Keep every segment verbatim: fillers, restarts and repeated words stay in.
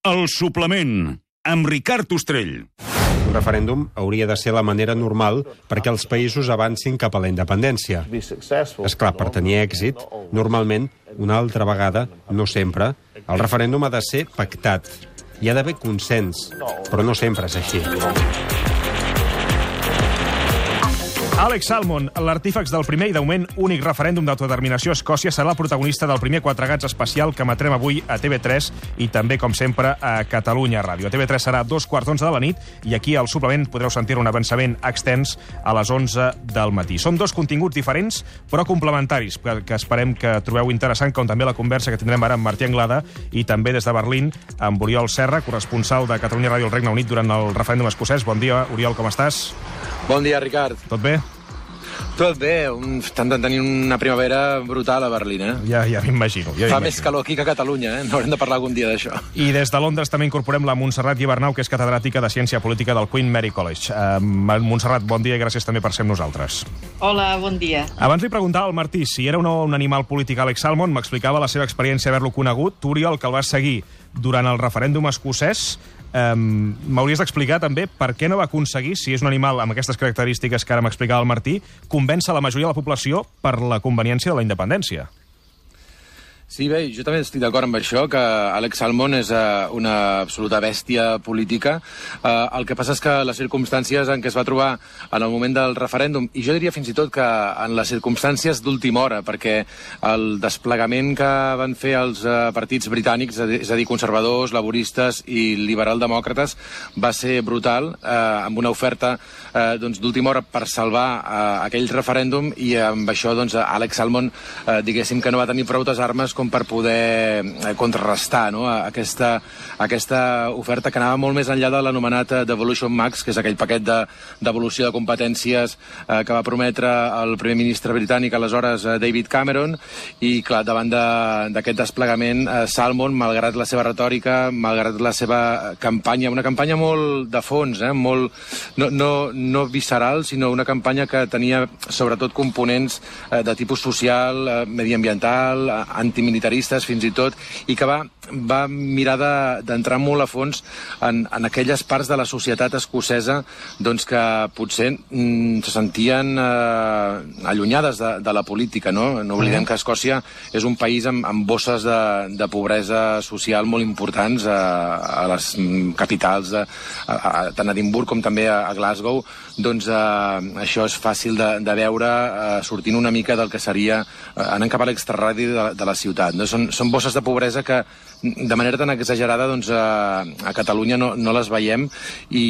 El suplement, amb Ricard Ostrell. Un referèndum hauria de ser la manera normal perquè els països avancin cap a la independència. És clar, per tenir èxit, normalment, una altra vegada, no sempre, el referèndum ha de ser pactat. Hi ha d'haver consens, però no sempre és així. Alex Salmond, l'artífex del primer i de moment únic referèndum d'autodeterminació a Escòcia, serà el protagonista del primer Quatre Gats especial que emetrem avui a T V tres i també, com sempre, a Catalunya Ràdio. A T V tres serà a dos quarts d'onze de la nit i aquí al suplement podreu sentir un avançament extens a les onze del matí. Són dos continguts diferents, però complementaris, que esperem que trobeu interessant, com també la conversa que tindrem ara amb Martí Anglada i també des de Berlín amb Oriol Serra, corresponsal de Catalunya Ràdio al Regne Unit durant el referèndum escocès. Bon dia, Oriol, com estàs? Bon dia, Ricard. Tot bé? Tot bé, un, estan tenint una primavera brutal a Berlín, eh? Ja, ja m'imagino. Ja Fa més calor aquí que a Catalunya, eh? N'haurem de parlar algun dia d'això. I des de Londres també incorporem la Montserrat Guibernau, que és catedràtica de Ciència Política del Queen Mary College. Uh, Montserrat, bon dia i gràcies també per ser amb nosaltres. Hola, bon dia. Abans li preguntava al Martí si era un, un animal polític Alex Salmond, m'explicava la seva experiència haver-lo conegut. Tu, Oriol, que el vas seguir durant el referèndum escocès, Um, m'hauries d'explicar també per què no va aconseguir, si és un animal amb aquestes característiques que ara m'explicava el Martí, convèncer la majoria de la població per la conveniència de la independència. Sí, bé, jo també estic d'acord amb això, que Alex Salmond és uh, una absoluta bèstia política. Uh, el que passa és que les circumstàncies en què es va trobar en el moment del referèndum, i jo diria fins i tot que en les circumstàncies d'última hora, perquè el desplegament que van fer els uh, partits britànics, és a dir, conservadors, laboristes i liberal-demòcrates, va ser brutal, uh, amb una oferta uh, doncs, d'última hora per salvar uh, aquell referèndum, i amb això doncs, Alex Salmond, uh, diguéssim que no va tenir prou armes com per poder contrarrestar, no? aquesta, aquesta oferta que anava molt més enllà de l'anomenat Devolution Max, que és aquell paquet de, devolució de competències eh, que va prometre el primer ministre britànic aleshores, eh, David Cameron, i clar, davant d'aquest de, desplegament, eh, Salmond, malgrat la seva retòrica, malgrat la seva campanya, una campanya molt de fons, eh, molt, no, no, no visceral, sinó una campanya que tenia sobretot components eh, de tipus social, eh, mediambiental, eh, antimilitaristes fins i tot, i que va, va mirar d'entrar de, molt a fons en, en aquelles parts de la societat escocesa doncs, que potser mm, se sentien eh, allunyades de, de la política. No, no oblidem que Escòcia és un país amb, amb bosses de, de pobresa social molt importants a, a les capitals, de, a, a, tant a Edimburg com també a, a Glasgow. Doncs eh, això és fàcil de, de veure eh, sortint una mica del que seria eh, anant cap a l'extraradi de, de la ciutat. No? Són, són bosses de pobresa que de manera tan exagerada doncs, a, a Catalunya no, no les veiem, i,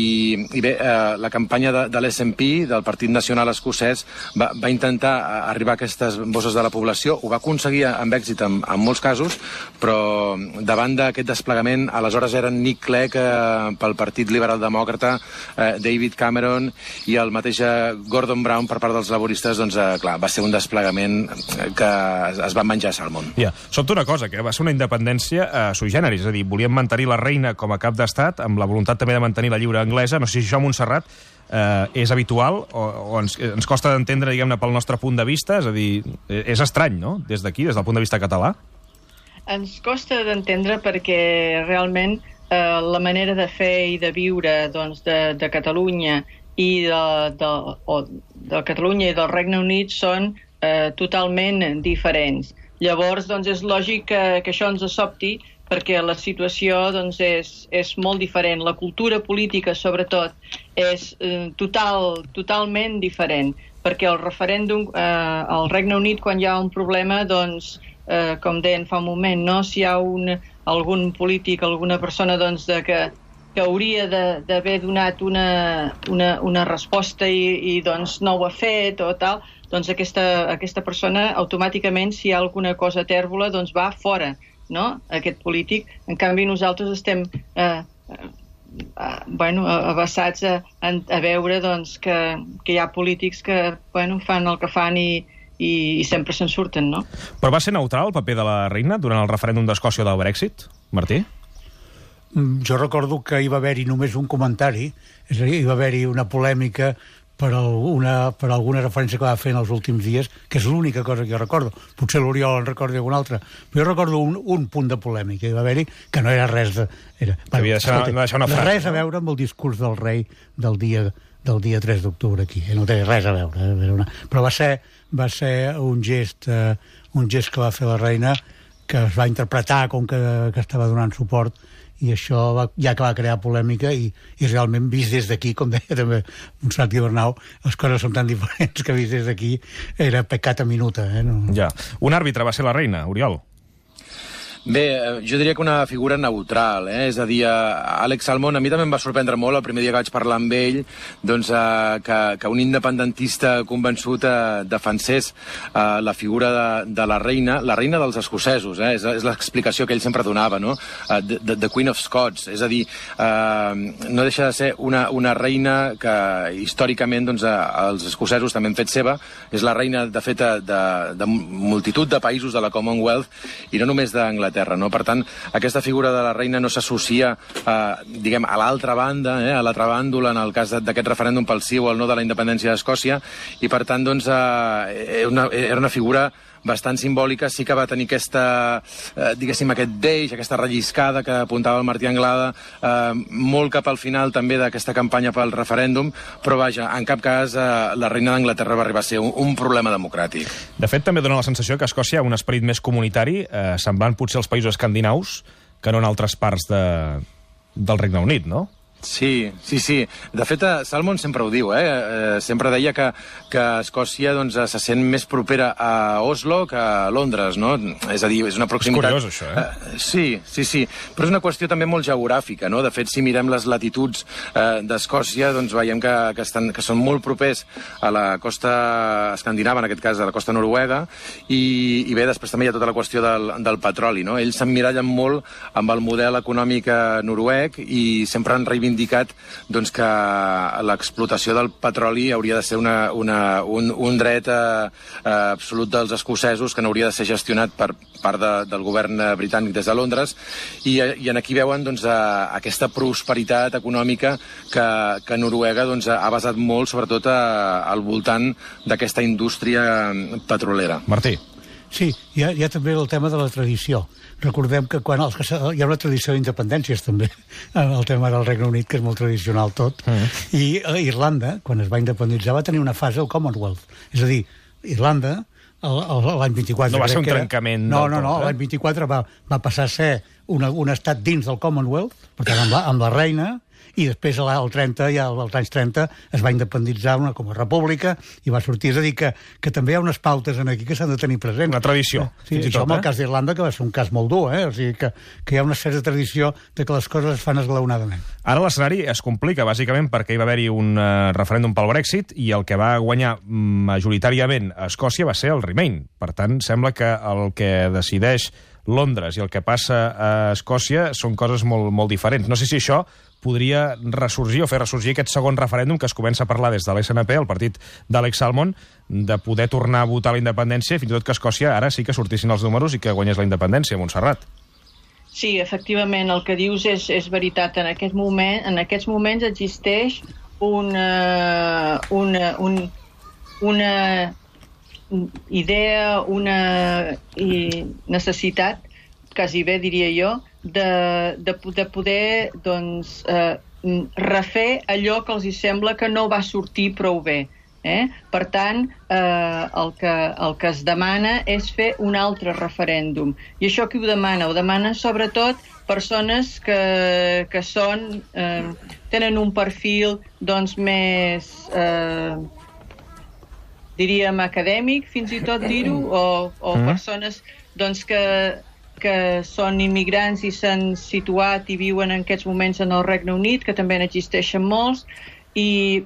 i bé, eh, la campanya de, de l'S N P, del Partit Nacional Escocès, va, va intentar arribar a aquestes bosses de la població, ho va aconseguir amb èxit en, en molts casos, però davant d'aquest desplegament, aleshores eren Nick Clegg eh, pel Partit Liberal Demòcrata, eh, David Cameron i el mateix Gordon Brown per part dels laboristes, doncs eh, clar, va ser un desplegament que es, es va menjar a Salmond. Ja, sobta una cosa, que va ser una independència eh, sui generis, és a dir, volien mantenir la reina com a cap d'estat, amb la voluntat també de mantenir la lliure anglesa. No sé si això, Montserrat, eh, és habitual o, o ens, ens costa d'entendre, diguem-ne, pel nostre punt de vista, és a dir, és estrany, no?, des d'aquí, des del punt de vista català. Ens costa d'entendre perquè realment eh, la manera de fer i de viure doncs, de, de Catalunya i de, de, o de Catalunya i del Regne Unit són eh, totalment diferents. Llavors, doncs, és lògic que, que això ens sobti, perquè la situació doncs, és, és molt diferent. La cultura política, sobretot, és eh, total, totalment diferent, perquè el referèndum eh, al Regne Unit, quan hi ha un problema, doncs, eh, com deien fa un moment, no? Si hi ha un, algun polític, alguna persona doncs, de que, que hauria d'haver donat una, una, una resposta i, i doncs, no ho ha fet o tal, doncs aquesta, aquesta persona automàticament, si hi ha alguna cosa tèrbola, doncs va fora, no?, aquest polític. En canvi, nosaltres estem eh, eh, bueno, abassats a, a veure doncs, que, que hi ha polítics que bueno, fan el que fan i, i, i sempre se'n surten, no? Però va ser neutral el paper de la reina durant el referèndum d'Escòcia del Brexit, Martí? Jo recordo que hi va haver-hi només un comentari, és a dir, hi va haver-hi una polèmica per, alguna, per alguna referència que va fer en els últims dies, que és l'única cosa que jo recordo. Potser l'Oriol en recordi alguna altra, però jo recordo un, un punt de polèmica que va haver-hi, que no era res de... Era, bueno, deixar, escolta, no deixar una frase, res a veure amb el discurs del rei del dia, del dia tres d'octubre aquí. No té res a veure. Eh? Una... Però va ser, va ser un gest, eh, un gest que va fer la reina, que es va interpretar com que, que estava donant suport, i això va, ja que va crear polèmica i, i realment vist des d'aquí, com deia també Montserrat Guibernau, les coses són tan diferents que vist des d'aquí era pecat a minuta. Eh? No... Ja. Un àrbitre va ser la reina, Oriol. Bé, jo diria que una figura neutral, eh? És a dir, Alex Salmond, a mi també em va sorprendre molt el primer dia que vaig parlar amb ell, doncs, eh, que, que un independentista convençut eh, defensés eh, la figura de, de la reina, la reina dels escocesos, eh? És, és l'explicació que ell sempre donava, no? Uh, the, the, the Queen of Scots, és a dir, eh, no deixa de ser una, una reina que històricament doncs, eh, els escocesos també han fet seva, és la reina, de fet, de, de multitud de països de la Commonwealth, i no només d'Anglaterra, no? Per tant, aquesta figura de la reina no s'associa eh, diguem, a l'altra banda, eh, a l'altra bàndol, en el cas d'aquest referèndum pel sí o el no de la independència d'Escòcia, i per tant, doncs, eh, una, era una figura bastant simbòlica. Sí que va tenir aquesta, eh, diguéssim, aquest deix, aquesta relliscada que apuntava el Martí Anglada, eh, molt cap al final també d'aquesta campanya pel referèndum, però vaja, en cap cas eh, la reina d'Anglaterra va arribar a ser un, un problema democràtic. De fet, també dona la sensació que a Escòcia hi ha un esperit més comunitari, eh, semblant potser als països escandinaus, que no en altres parts de, del Regne Unit, no? Sí, sí, sí. De fet, Salmond sempre ho diu, eh? eh sempre deia que, que Escòcia doncs, se sent més propera a Oslo que a Londres, no? És a dir, és una proximitat... És curiós, això, eh? eh sí, sí, sí. Però és una qüestió també molt geogràfica, no? De fet, si mirem les latituds eh, d'Escòcia, doncs veiem que, que, estan, que són molt propers a la costa escandinava, en aquest cas a la costa noruega, i, i bé, després també hi ha tota la qüestió del, del petroli, no? Ells s'emmirallen molt amb el model econòmic noruec i sempre han reivindicat indicat doncs, que l'explotació del petroli hauria de ser una, una, un, un dret eh, absolut dels escocesos que no hauria de ser gestionat per part de, del govern britànic des de Londres, i, i en aquí veuen doncs, eh, aquesta prosperitat econòmica que, que Noruega doncs, ha basat molt sobretot a, al voltant d'aquesta indústria petrolera. Martí. Sí, hi ha, hi ha també el tema de la tradició. Recordem que quan els, hi ha una tradició d'independències també, el tema del Regne Unit, que és molt tradicional tot, mm. i Irlanda, quan es va independitzar, va tenir una fase al Commonwealth. És a dir, Irlanda, l'any vint-i-quatre... No va ser un trencament no, del no, no, tot, eh? L'any vint-i-quatre va, va passar a ser una, un estat dins del Commonwealth, per tant, amb la, amb la reina, i després al trenta, ja als anys trenta, es va independitzar una com a república i va sortir. És a dir, que, que també hi ha unes pautes en aquí que s'han de tenir presents. Una tradició. Sí, això tot, amb el eh? cas d'Irlanda, que va ser un cas molt dur, eh? O sigui, que, que hi ha una certa tradició de que les coses es fan esglaonadament. Ara l'escenari es complica, bàsicament, perquè hi va haver-hi un uh, referèndum pel Brexit i el que va guanyar majoritàriament a Escòcia va ser el Remain. Per tant, sembla que el que decideix Londres i el que passa a Escòcia són coses molt, molt diferents. No sé si això podria ressorgir o fer ressorgir aquest segon referèndum que es comença a parlar des de l'S N P, el partit d'Alex Salmond, de poder tornar a votar la independència, fins i tot que Escòcia ara sí que sortissin els números i que guanyés la independència, Montserrat. Sí, efectivament, el que dius és, és veritat. En, aquest moment, en aquests moments existeix una, una, un, una idea, una necessitat, quasi bé diria jo, de, de, de poder doncs, eh, refer allò que els hi sembla que no va sortir prou bé. Eh? Per tant, eh, el, que, el que es demana és fer un altre referèndum. I això qui ho demana? Ho demanen sobretot persones que, que són, eh, tenen un perfil doncs, més, eh, diríem, acadèmic, fins i tot dir-ho, o, o mm. persones doncs, que, que són immigrants i s'han situat i viuen en aquests moments en el Regne Unit, que també n'existeixen molts, i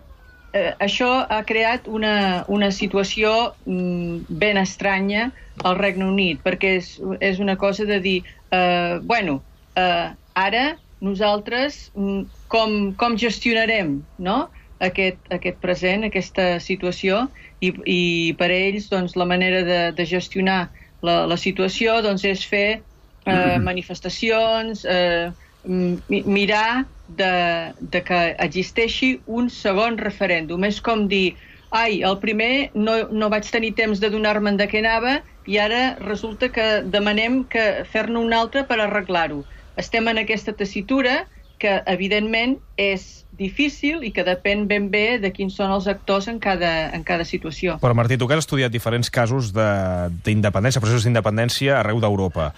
eh, això ha creat una, una situació mm, ben estranya al Regne Unit, perquè és, és una cosa de dir, eh, bueno, eh, ara nosaltres mm, com, com gestionarem, no?, aquest, aquest present, aquesta situació, i, i per ells doncs, la manera de, de gestionar la, la situació doncs, és fer eh, manifestacions, eh, mirar de, de que existeixi un segon referèndum. És com dir, ai, el primer no, no vaig tenir temps de donar-me'n de què anava i ara resulta que demanem que fer-ne un altre per arreglar-ho. Estem en aquesta tessitura que, evidentment, és difícil i que depèn ben bé de quins són els actors en cada, en cada situació. Però, Martí, tu que has estudiat diferents casos d'independència, processos d'independència arreu d'Europa,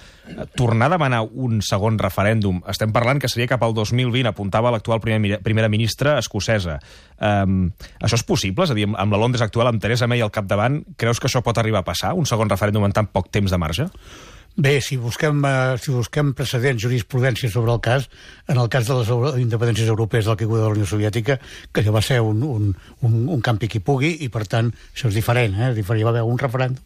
tornar a demanar un segon referèndum, estem parlant que seria cap al dos mil vint, apuntava l'actual primer, primera ministra escocesa. Um, això és possible? És a dir, amb la Londres actual, amb Theresa May al capdavant, creus que això pot arribar a passar, un segon referèndum en tan poc temps de marge? Bé, si busquem, eh, si busquem precedents, jurisprudència sobre el cas, en el cas de les independències europees del caiguda de la Unió Soviètica, que va ser un, un, un, un campi qui pugui, i per tant això és diferent, eh? És diferent, hi va haver un referèndum.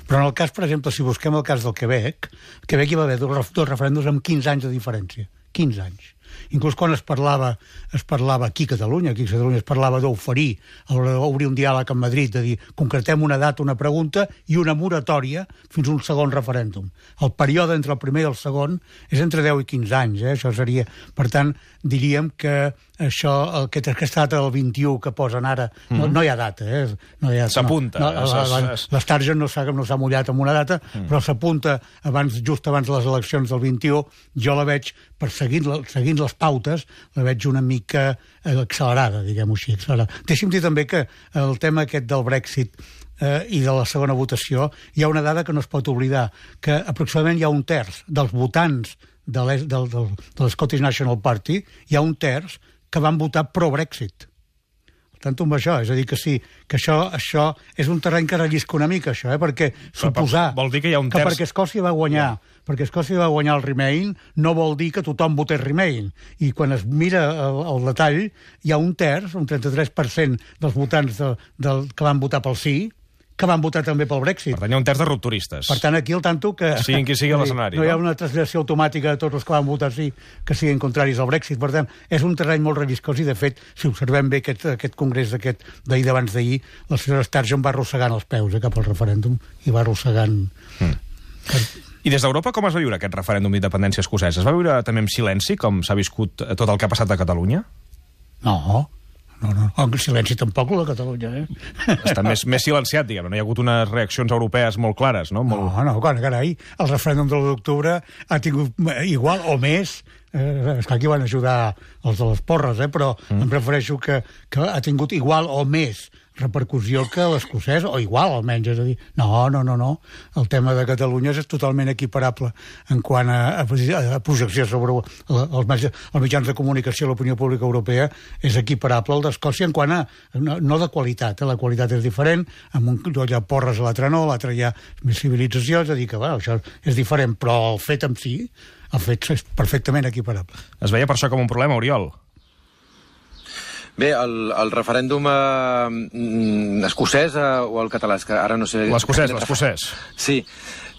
Però en el cas, per exemple, si busquem el cas del Quebec, al Quebec hi va haver dos, dos referèndums amb quinze anys de diferència. quinze anys. Inclús quan es parlava, es parlava aquí a Catalunya, aquí a Catalunya es parlava d'oferir, obrir un diàleg amb Madrid, de dir, concretem una data, una pregunta i una moratòria fins a un segon referèndum. El període entre el primer i el segon és entre deu i quinze anys, eh? Això seria... Per tant, diríem que això, aquest, aquesta data del vint-i-u que posen ara, mm. no, no hi ha data, eh? No s'apunta. No, no, L'Sturgeon no s'ha no mullat amb una data, mm. però s'apunta abans, just abans de les eleccions del vint-i-u. Jo la veig, per seguint, seguint les pautes, la veig una mica accelerada, diguem-ho així, accelerada. Deixi'm dir també que el tema aquest del Brexit eh, i de la segona votació, hi ha una dada que no es pot oblidar, que aproximadament hi ha un terç dels votants de l'Scottish National Party, hi ha un terç que van votar pro-Brexit. Tant amb això, és a dir, que sí, que això, això és un terreny que rellisca una mica, això, eh? Perquè suposar vol dir que hi ha un terç... que perquè Escòcia va guanyar, ja. perquè Escòcia va guanyar el Remain, no vol dir que tothom votés Remain. I quan es mira el, el detall, hi ha un terç, un trenta-tres per cent dels votants de, del, que van votar pel sí, que van votar també pel Brexit. Per tant, hi ha un terç de rupturistes. Per tant, aquí el tanto que... Siguin qui sigui l'escenari. No hi ha una translació automàtica de tots els que van votar sí que siguin contraris al Brexit. Per tant, és un terreny molt relliscós i, de fet, si observem bé aquest, aquest congrés d'aquest d'ahir d'abans d'ahir, la senyora Sturgeon va arrossegant els peus eh, cap al referèndum i va arrossegant... Mm. Per... I des d'Europa com es va viure aquest referèndum d'independència escocès? Es va viure també en silenci, com s'ha viscut tot el que ha passat a Catalunya? No, no, no, en silenci tampoc, la Catalunya, eh? Està més, més silenciat, diguem. No hi ha hagut unes reaccions europees molt clares, no? Molt... No, no, carai, el referèndum de l'u d'octubre ha tingut igual o més, eh, és que aquí van ajudar els de les porres, eh, però mm. em prefereixo que, que ha tingut igual o més repercussió que l'escocès, o igual almenys, és a dir, no, no, no, no, el tema de Catalunya és totalment equiparable en quant a, a, a projecció sobre els, els mitjans de comunicació, l'opinió pública europea, és equiparable al d'Escòcia en quant a, no, no de qualitat, eh? La qualitat és diferent, amb un hi ha porres a l'altre no, a l'altre hi ha més civilització, és a dir que, bueno, això és diferent, però el fet en si, el fet és perfectament equiparable. Es veia per això com un problema, Oriol? Bé, el, el referèndum eh, escocès eh, o el català, que ara no sé... L'escocès, l'escocès. Sí.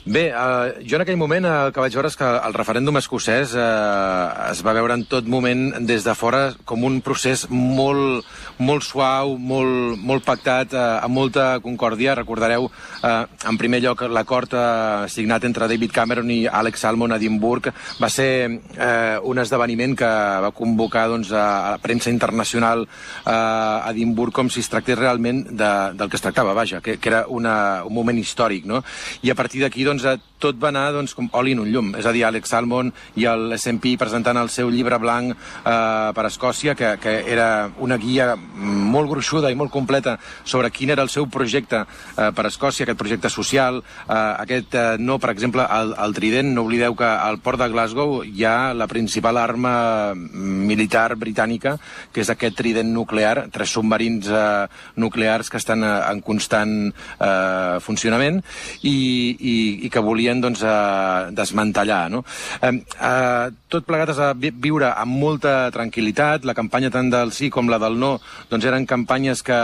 Bé, eh, jo en aquell moment eh, el que vaig veure és que el referèndum escocès eh, es va veure en tot moment des de fora com un procés molt, molt suau, molt, molt pactat, eh, amb molta concòrdia. Recordareu, eh, en primer lloc, l'acord eh, signat entre David Cameron i Alex Salmond a Edimburg va ser eh, un esdeveniment que va convocar doncs, a la premsa internacional eh, a Edimburg com si es tractés realment de, del que es tractava, vaja, que, que era una, un moment històric, no? I a partir d'aquí, doncs, tot va anar doncs, com oli en un llum. És a dir, Alex Salmond i l'S and P presentant el seu llibre blanc eh, per Escòcia, que, que era una guia molt gruixuda i molt completa sobre quin era el seu projecte eh, per Escòcia, aquest projecte social, eh, aquest eh, no, per exemple, el, el trident. No oblideu que al port de Glasgow hi ha la principal arma militar britànica, que és aquest trident nuclear, tres submarins eh, nuclears que estan eh, en constant eh, funcionament i, i, i que volien doncs, eh, desmantellar. No? Eh, eh, tot plegat es va viure amb molta tranquil·litat. La campanya tant del sí com la del no doncs, eren campanyes que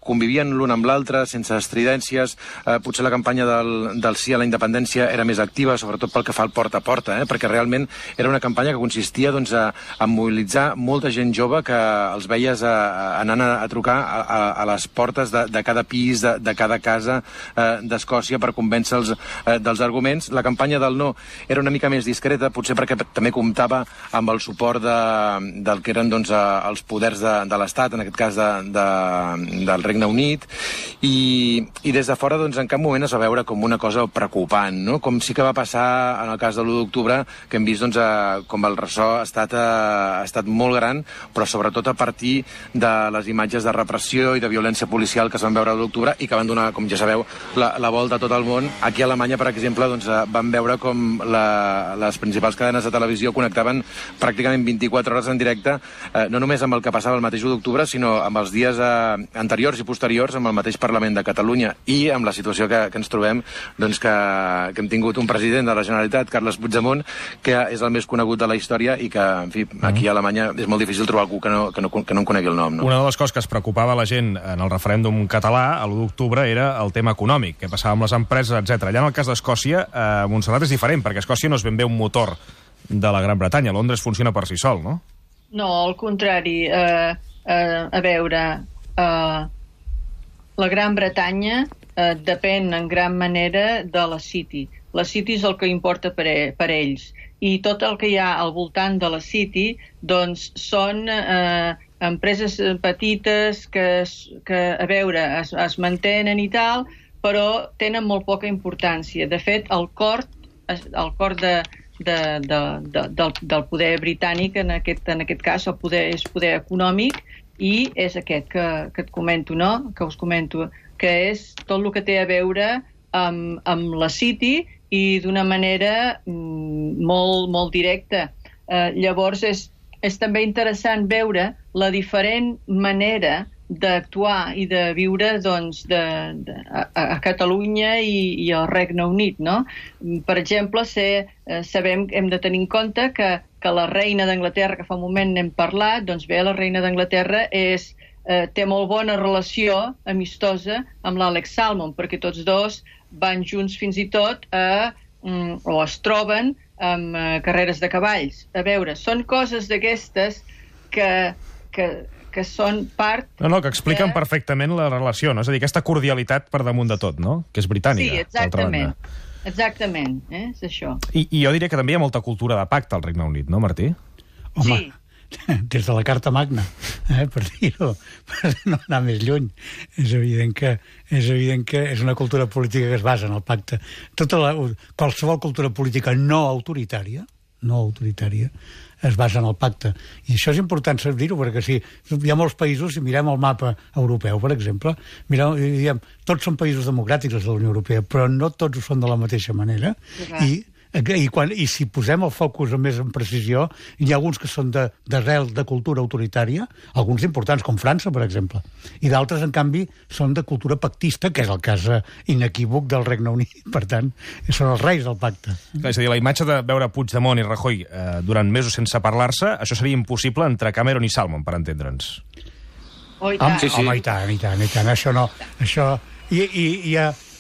convivien l'una amb l'altra, sense estridències. Eh, potser la campanya del, del sí a la independència era més activa, sobretot pel que fa al porta a porta, eh? perquè realment era una campanya que consistia doncs, a, a mobilitzar molta gent jove que els veies a, a, anant a, a trucar a, a, a les portes de, de cada pis, de, de cada casa eh, d'Escòcia per convèncer-los eh, dels arguments. La campanya del no era una mica més discreta, potser perquè també comptava amb el suport de, del que eren doncs, els poders de, de l'Estat, en aquest cas de, de, del Regne Unit, i, i des de fora doncs, en cap moment es va veure com una cosa preocupant, no? Com sí que va passar en el cas de l'u d'octubre, que hem vist doncs, a, com el ressò ha estat, a, ha estat molt gran, però sobretot a partir de les imatges de repressió i de violència policial que es van veure a l'u d'octubre i que van donar, com ja sabeu, la, la volta a tot el món. Aquí a Alemanya, per exemple, doncs, van veure com la, les principals cadenes de televisió connectaven pràcticament vint-i-quatre hores en directe, eh, no només amb el que passava el mateix u d'octubre, sinó amb els dies eh, anteriors i posteriors amb el mateix Parlament de Catalunya i amb la situació que, que ens trobem, doncs, que, que hem tingut un president de la Generalitat, Carles Puigdemont, que és el més conegut de la història i que, en fi, aquí a Alemanya és molt difícil trobar algú que no, que no, que no en conegui el nom. No? Una de les coses que es preocupava la gent en el referèndum català a l'u d'octubre era el tema econòmic, què passava amb les empreses, etcètera. Allà en el cas d'Escòcia, eh, Montserrat és diferent, perquè Escòcia no és ben bé un motor de la Gran Bretanya. Londres funciona per si sol, no? No, al contrari. Eh, eh, a veure, eh, la Gran Bretanya eh, depèn en gran manera de la City. La City és el que importa per, e per ells. I tot el que hi ha al voltant de la City, doncs, són eh, empreses petites que, que a veure, es, es mantenen i tal, però tenen molt poca importància. De fet, el cor, el cor de, de, de, de, del, del poder britànic, en aquest, en aquest cas, el poder és poder econòmic, i és aquest que, que et comento, no? Que us comento, que és tot el que té a veure amb, amb la City i d'una manera mm, molt, molt directa. Eh, llavors, és, és també interessant veure la diferent manera d'actuar i de viure doncs, de, de, a, a Catalunya i, i al Regne Unit, no? Per exemple, sé, eh, sabem, hem de tenir en compte que, que la reina d'Anglaterra, que fa un moment n'hem parlat, doncs bé, la reina d'Anglaterra és, eh, té molt bona relació amistosa amb l'Alex Salmond, perquè tots dos van junts fins i tot a, mm, o es troben amb eh, carreres de cavalls. A veure, són coses d'aquestes que, que que són part... No, no, que expliquen de... perfectament la relació, no? És a dir, aquesta cordialitat per damunt de tot, no? Que és britànica. Sí, exactament. Exactament, eh? És això. I, I jo diria que també hi ha molta cultura de pacte al Regne Unit, no, Martí? Home, sí. Des de la Carta Magna, eh, per dir-ho, per no anar més lluny. És evident que és evident que és una cultura política que es basa en el pacte. Tota la, qualsevol cultura política no autoritària, no autoritària, es basa en el pacte. I això és important dir-ho, perquè si hi ha molts països, si mirem el mapa europeu, per exemple, mirem, diem, tots són països democràtics de la Unió Europea, però no tots ho són de la mateixa manera. I, i, quan, i si posem el focus més en precisió, hi ha alguns que són d'arrel de, de cultura autoritària, alguns importants, com França, per exemple, i d'altres, en canvi, són de cultura pactista, que és el cas inequívoc del Regne Unit. Per tant, són els reis del pacte. Clar, és a dir, la imatge de veure Puigdemont i Rajoy eh, durant mesos sense parlar-se, això seria impossible entre Cameron i Salmond, per entendre'ns. Oh, i tant. Sí, sí. Home, i tant, i tant, i tant. Això no... Això... I, i, i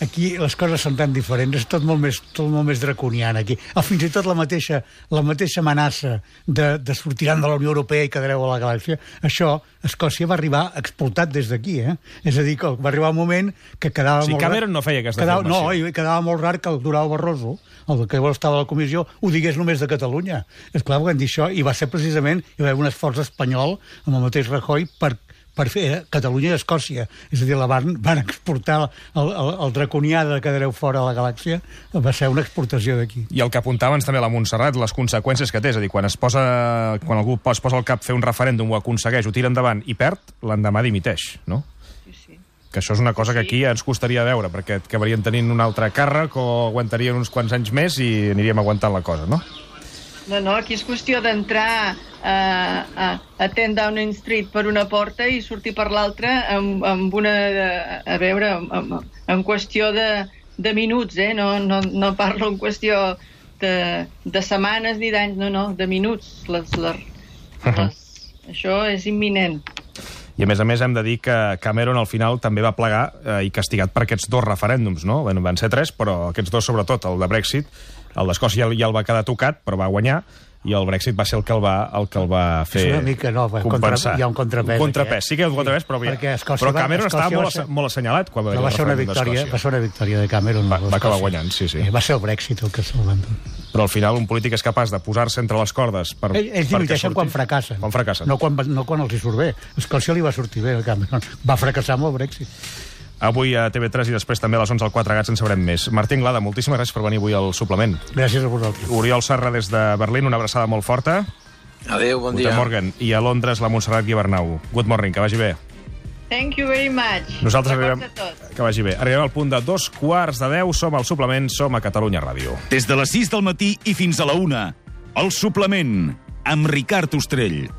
aquí les coses són tan diferents, és tot molt més, tot molt més draconiana aquí. O fins i tot la mateixa, la mateixa amenaça de, de sortiran de la Unió Europea i quedareu a la galàxia, això, Escòcia va arribar explotat des d'aquí, eh? És a dir, que va arribar un moment que quedava sí, molt... Sí, Cameron no feia aquesta quedava, afirmació. No, i quedava molt rar que el Durão Barroso, el que estava a la comissió, ho digués només de Catalunya. És clar, van dir això, i va ser precisament, hi va haver un esforç espanyol amb el mateix Rajoy per per fer Catalunya i Escòcia. És a dir, la van, van exportar el, el, el draconià de quedareu fora de la galàxia, va ser una exportació d'aquí. I el que apuntava també la Montserrat, les conseqüències que té, és a dir, quan es posa, quan algú es posa al cap fer un referèndum, ho aconsegueix, ho tira endavant i perd, l'endemà dimiteix, no? Sí, sí. Que això és una cosa que aquí ens costaria veure, perquè acabarien tenint un altre càrrec o aguantarien uns quants anys més i aniríem aguantant la cosa, no? No, no, aquí és qüestió d'entrar a, a, a ten Downing Street per una porta i sortir per l'altra amb, amb una... A veure, amb, en qüestió de, de minuts, eh? No, no, no parlo en qüestió de, de setmanes ni d'anys, no, no, de minuts. Les, les, les, això és imminent. I a més a més hem de dir que Cameron al final també va plegar eh, i castigat per aquests dos referèndums, no? Van ser tres, però aquests dos sobretot, el de Brexit, el d'Escòcia ja el va quedar tocat, però va guanyar. i el Brexit va ser el que el va, el que el va fer És una mica nova, compensar. Contra, hi ha un contrapès. Un contrapès, aquí, sí que hi ha un contrapès, però, perquè però Cameron estava molt, ser... molt assenyalat quan va, va, ser una victòria, va ser una victòria de Cameron. Va, va acabar guanyant, sí, sí. Va ser el Brexit el que se'l van dur. Però al final un polític és capaç de posar-se entre les cordes per, ells ells dimiteixen quan fracassen. Quan fracassen. No quan, no quan els hi surt bé. És que això li va sortir bé a Cameron. Va fracassar amb el Brexit. Avui a T V tres i després també a les onze al Quatre Gats en sabrem més. Martín Glada, moltíssimes gràcies per venir avui al suplement. Gràcies a vosaltres. Oriol Serra des de Berlín, una abraçada molt forta. Adéu, bon dia. Guten Morgen. I a Londres, la Montserrat Guibernau. Good morning, que vagi bé. Thank you very much. Nosaltres arribem... Que vagi bé. Arribem al punt de dos quarts de deu, som al suplement, som a Catalunya Ràdio. Des de les sis del matí i fins a la una, el suplement, amb Ricard Ostrell.